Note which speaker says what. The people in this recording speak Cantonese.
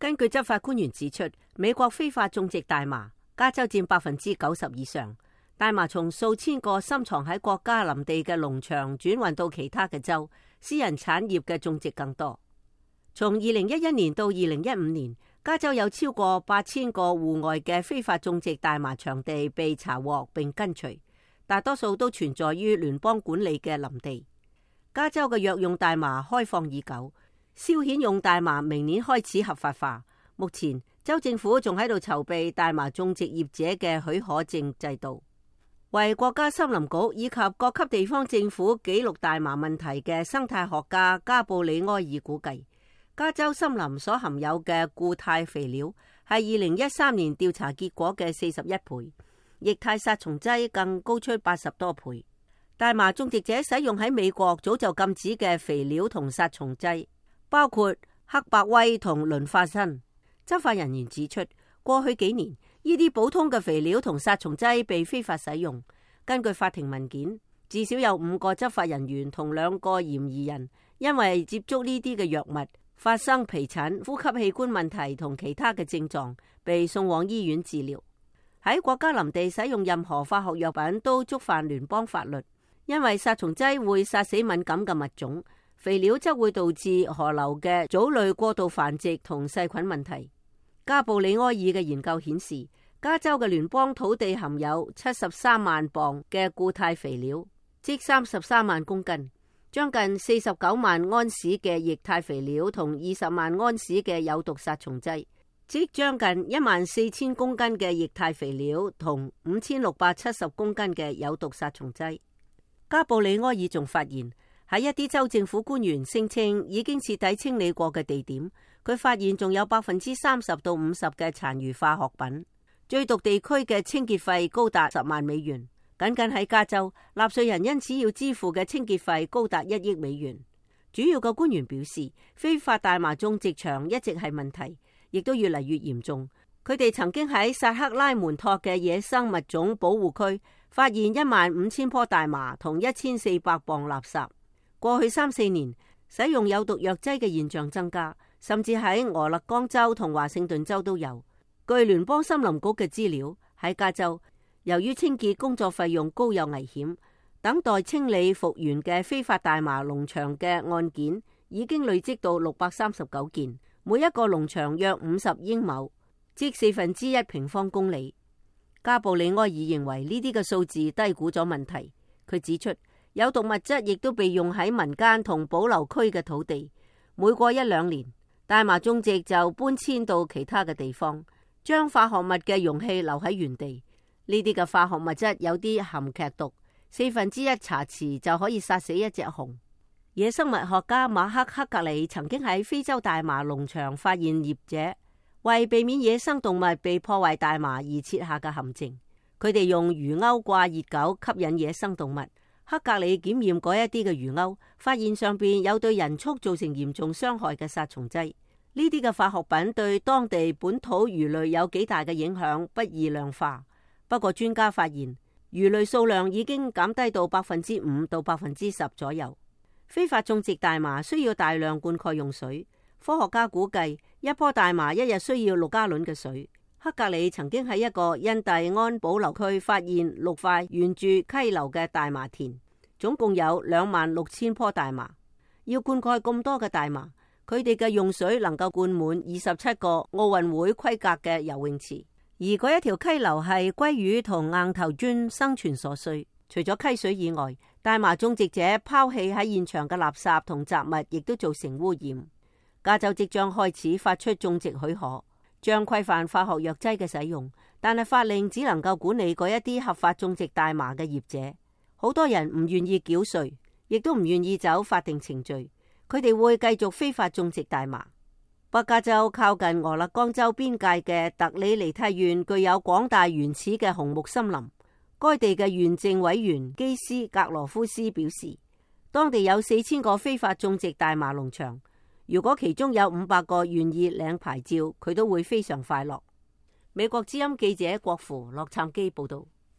Speaker 1: 根據執法官員指出，美國非法種植大麻，加州佔90%以上。大麻從數千個深藏喺國家林地嘅農場轉運到其他嘅州，私人產業嘅種植更多。從2011年到2015年，加州有超過8000個戶外嘅非法種植大麻場地被查獲並根除，大多數都存在於聯邦管理嘅林地。加州嘅藥用大麻開放已久，消遣用大麻明年開始合法化。目前州政府仲喺度籌備大麻種植業者嘅許可證制度。為國家森林局以及各級地方政府記錄大麻問題嘅生態學家加布里埃爾估計，加州森林所含有嘅固態肥料係2013年調查結果嘅41倍，液態殺蟲劑更高出80多倍。大麻種植者使用喺美國早就禁止嘅肥料同殺蟲劑，包括黑白威同磷化砷。執法人員指出，過去幾年呢啲普通嘅肥料同殺蟲劑被非法使用。根據法庭文件，至少有5個執法人員同2個嫌疑人因為接觸呢啲嘅藥物，發生皮疹、呼吸器官問題同其他嘅症狀，被送往醫院治療。喺國家林地使用任何化學藥品都觸犯聯邦法律，因為殺蟲劑會殺死敏感嘅物種，肥料則會導致河流嘅藻類過度繁殖同細菌問題。加布里埃爾嘅研究顯示，加州嘅聯邦土地含有73萬磅嘅固態肥料，即33萬公斤，將近49萬安士嘅液態肥料同20萬安士嘅有毒殺蟲劑，即將近14000公斤嘅液態肥料同5670公斤嘅有毒殺蟲劑。加布里埃爾仲發現，喺一啲州政府官員聲稱已經徹底清理過嘅地點，佢發現仲有30%到50%嘅殘餘化學品。最毒地區嘅清潔費高達10萬美元，僅僅喺加州，納稅人因此要支付嘅清潔費高達1億美元。主要嘅官員表示，非法大麻種植場一直係問題，亦都越嚟越嚴重。佢哋曾經喺薩克拉門托嘅野生物種保護區發現15000棵大麻同1400磅垃圾。過去3-4年，使用有毒藥劑嘅現象增加，甚至喺俄勒岡州同華盛頓州都有。據聯邦森林局嘅資料，喺加州，由於清潔工作費用高又危險，等待清理復原嘅非法大麻農場嘅案件已經累積到639件，每一個農場約50英畝，即1/4平方公里。加布里埃爾認為呢啲嘅數字低估咗問題。佢指出，有毒物質亦都被用喺民間同保留區嘅土地，每過1-2年，大麻種植就搬遷到其他嘅地方，將化學物嘅容器留喺原地。呢啲嘅化學物質有啲含劇毒，1/4茶匙就可以殺死一隻熊。野生物學家馬克·克格里曾經喺非洲大麻農場發現業者為避免野生動物被破壞大麻而設下嘅陷阱。佢哋用魚鈎掛熱狗吸引野生動物。克格里檢驗嗰一啲嘅魚鈎，發現上邊有對人畜造成嚴重傷害嘅殺蟲劑。呢啲嘅化學品對當地本土魚類有幾大嘅影響，不易量化。不過專家發現，魚類數量已經減低到5%到10%左右。非法種植大麻需要大量灌溉用水，科學家估計一棵大麻一日需要6加侖嘅水。克格里曾經喺一個印第安保留區發現6塊沿住溪流嘅大麻田，總共有26000棵大麻。要灌溉咁多嘅大麻，佢哋嘅用水能夠灌滿27個奧運會規格嘅游泳池，而嗰一條溪流係鮭魚同硬頭磚生存所需。除咗溪水以外，大麻種植者拋棄喺現場嘅垃圾同雜物，亦都造成污染。加州即將開始發出種植許可，將規範化學藥劑嘅使用，但係法令只能夠管理嗰一啲合法種植大麻嘅業者。好多人唔願意繳稅，亦都唔願意走法定程序。佢哋會繼續非法種植大麻。北加州靠近俄勒岡州邊界嘅特里尼蒂縣具有廣大原始嘅紅木森林。該地嘅縣政委員基斯格羅夫斯表示，當地有4000個非法種植大麻農場。如果其中有500個願意領牌照，佢都會非常快樂。美國之音記者郭芙洛杉磯報道。